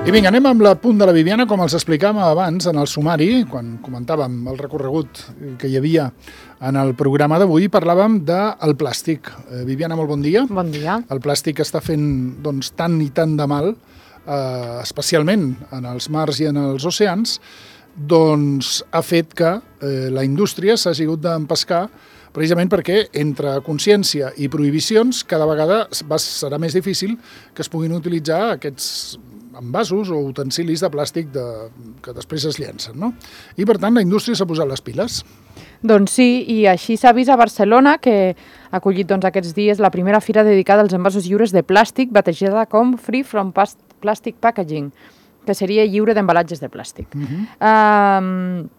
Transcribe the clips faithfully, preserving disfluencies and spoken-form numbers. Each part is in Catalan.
I vinga, anem amb la punt de la Viviana, com els explicàvem abans en el sumari, quan comentàvem el recorregut que hi havia en el programa d'avui, parlàvem del plàstic. Eh, Viviana, molt bon dia. Bon dia. El plàstic està fent doncs, tant i tant de mal, eh, especialment en els mars i en els oceans, doncs ha fet que eh, la indústria s'ha hagut d'empescar precisament perquè entre consciència i prohibicions cada vegada va, serà més difícil que es puguin utilitzar aquests envasos o utensilis de plàstic de, que després es llencen, no? I per tant la indústria s'ha posat les piles. Doncs sí, i així s'ha vist a Barcelona, que ha acollit doncs, aquests dies la primera fira dedicada als envasos lliures de plàstic, batejada com Free from Plastic Packaging, que seria lliure d'embalatges de plàstic. Uh-huh. um,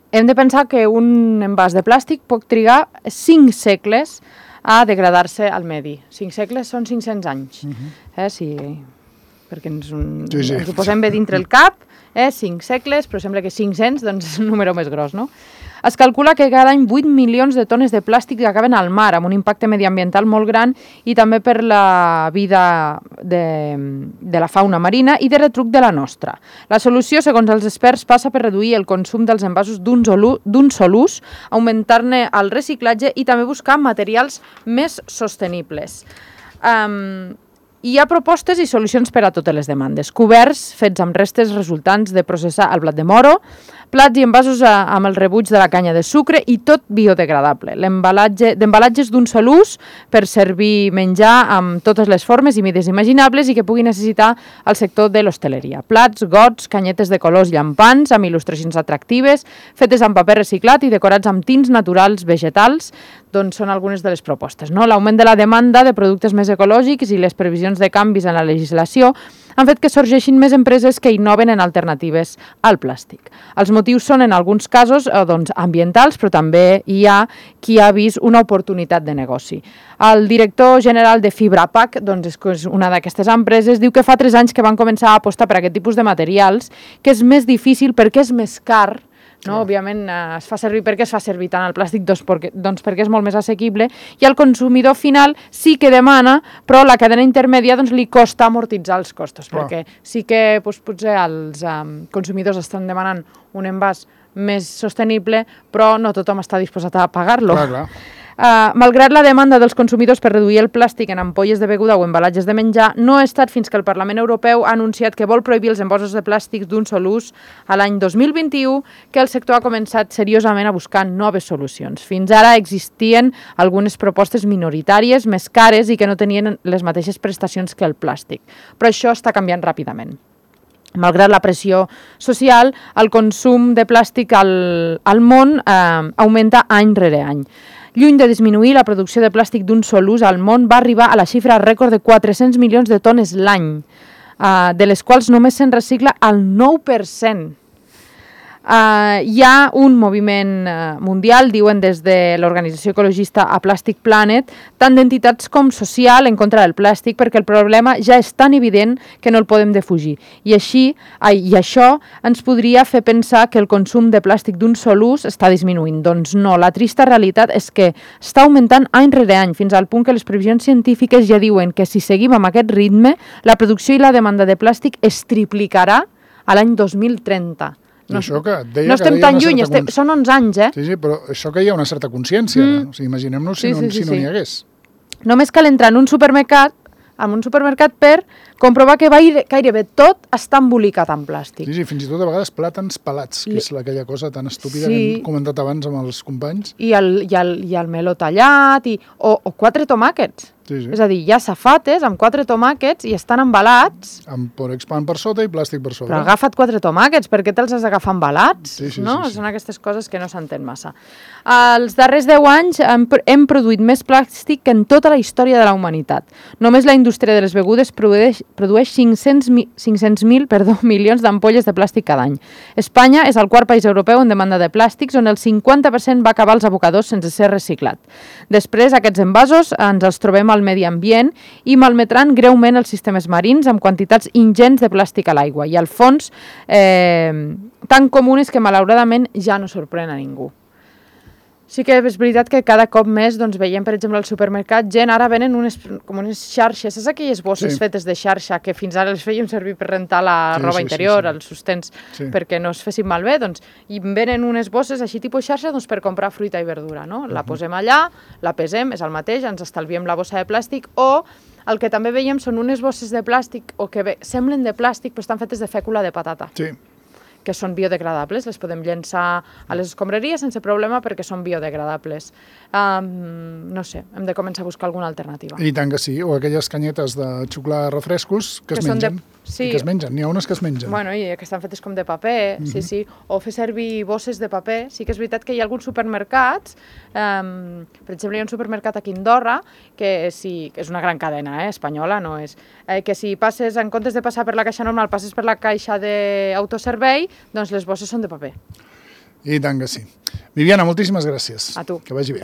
hem de pensar que un envàs de plàstic pot trigar cinc segles a degradar-se al medi. Cinc segles són cinc-cents anys. Uh-huh. eh, si... perquè ens, un, sí, sí. ens ho posem bé dintre el cap, eh, cinc segles, però sembla que cinc-cents doncs, és un número més gros, no? Es calcula que cada any vuit milions de tones de plàstic acaben al mar, amb un impacte mediambiental molt gran i també per la vida de, de la fauna marina i de retruc de la nostra. La solució, segons els experts, passa per reduir el consum dels envasos d'un sol ús, augmentar-ne el reciclatge i també buscar materials més sostenibles. Um, Hi ha propostes i solucions per a totes les demandes. Coberts fets amb restes resultants de processar el blat de moro, plats i envasos a, amb el rebuig de la canya de sucre i tot biodegradable. L'embalatge d'embalatges d'un sol ús per servir menjar amb totes les formes i mides imaginables i que pugui necessitar el sector de l'hostaleria. Plats, gots, canyetes de colors llampants amb il·lustracions atractives, fetes amb paper reciclat i decorats amb tints naturals vegetals, doncs són algunes de les propostes, no? L'augment de la demanda de productes més ecològics i les previsions de canvis en la legislació han fet que sorgeixin més empreses que innoven en alternatives al plàstic. Els motius són, en alguns casos, eh, doncs, ambientals, però també hi ha qui ha vist una oportunitat de negoci. El director general de Fibrapac, doncs, és una d'aquestes empreses, diu que fa tres anys que van començar a apostar per aquest tipus de materials, que és més difícil perquè és més car. No? Òbviament eh, es fa servir perquè es fa servir tant el plàstic doncs perquè, doncs perquè és molt més assequible i el consumidor final sí que demana, però la cadena intermèdia doncs, li costa amortitzar els costos, oh. perquè sí que doncs, potser els um, consumidors estan demanant un envàs més sostenible, però no tothom està disposat a pagar-lo. Clar, clar. Uh, malgrat la demanda dels consumidors per reduir el plàstic en ampolles de beguda o embalatges de menjar, no ha estat fins que el Parlament Europeu ha anunciat que vol prohibir els envasos de plàstic d'un sol ús a l'any dos mil vint-i-u que el sector ha començat seriosament a buscar noves solucions. Fins ara existien algunes propostes minoritàries més cares i que no tenien les mateixes prestacions que el plàstic, però això està canviant ràpidament. Malgrat la pressió social, el consum de plàstic al, al món eh, augmenta any rere any. Lluny de disminuir, la producció de plàstic d'un sol ús al món va arribar a la xifra rècord de quatre-cents milions de tones l'any, eh, de les quals només se'n recicla el nou per cent. Uh, hi ha un moviment uh, mundial, diuen des de l'organització ecologista A Plastic Planet, tant d'entitats com social en contra del plàstic, perquè el problema ja és tan evident que no el podem defugir. I, així, ai, i això ens podria fer pensar que el consum de plàstic d'un sol ús està disminuint. Doncs no, la trista realitat és que està augmentant any rere any, fins al punt que les previsions científiques ja diuen que si seguim amb aquest ritme, la producció i la demanda de plàstic es triplicarà a l'any dos mil trenta. No, no estem tan lluny, estem, cons... són onze anys, eh? Sí, sí, però això que hi ha una certa consciència. Mm. O sigui, imaginem-nos si, sí, no, sí, sí, si no n'hi sí. hagués. Només cal entrar en un supermercat, en un supermercat per comprovar que gairebé tot està embolicat en plàstic. Sí, sí, fins i tot a vegades plàtans pelats, que és aquella cosa tan estúpida sí. que hem comentat abans amb els companys. I el, i el, i el meló tallat, i, o, o quatre tomàquets. Sí, sí. És a dir, hi ha safates amb quatre tomàquets i estan embalats. Amb porexpan per sota i plàstic per sobre. Però agafa't quatre tomàquets, per què te'ls has d'agafar embalats? Sí, sí, no? sí, sí. Són aquestes coses que no s'entén massa. Els darrers deu anys hem, hem produït més plàstic que en tota la història de la humanitat. Només la indústria de les begudes produeix, produeix cinc-cents mil perdó, milions d'ampolles de plàstic cada any. Espanya és el quart país europeu en demanda de plàstics, on el cinquanta per cent va acabar als abocadors sense ser reciclat. Després, aquests envasos ens els trobem al medi ambient i malmetran greument els sistemes marins amb quantitats ingents de plàstic a l'aigua i al fons eh, tan comunes que malauradament ja no sorprèn a ningú. Sí que és veritat que cada cop més doncs, veiem, per exemple, al supermercat, gent ara venen unes, com unes xarxes, saps aquelles bosses sí. fetes de xarxa que fins ara les fèiem servir per rentar la sí, roba sí, interior, sí, sí. els sostens, sí. perquè no es fessin malbé, doncs, i venen unes bosses així tipus xarxa doncs, per comprar fruita i verdura, no? La uh-huh. posem allà, la pesem, és el mateix, ens estalviem la bossa de plàstic, o el que també veiem són unes bosses de plàstic, o que bé, semblen de plàstic, però estan fetes de fècula de patata. Sí. Que són biodegradables, les podem llençar a les escombraries sense problema perquè són biodegradables. Um, no sé, hem de començar a buscar alguna alternativa. I tant que sí, o aquelles canyetes de xuclar refrescos que, que es mengen. De... Sí. I que es mengen, n'hi ha unes que es mengen. Bueno, i que estan fetes com de paper, uh-huh. sí, sí. O fer servir bosses de paper. Sí que és veritat que hi ha alguns supermercats, um, per exemple, hi ha un supermercat aquí a Andorra, que sí, que és una gran cadena eh, espanyola, no és, eh, que si passes, en comptes de passar per la caixa normal, passes per la caixa d'autoservei, doncs les bosses són de paper. I tant que sí. Viviana, moltíssimes gràcies. A tu. Que vagi bé.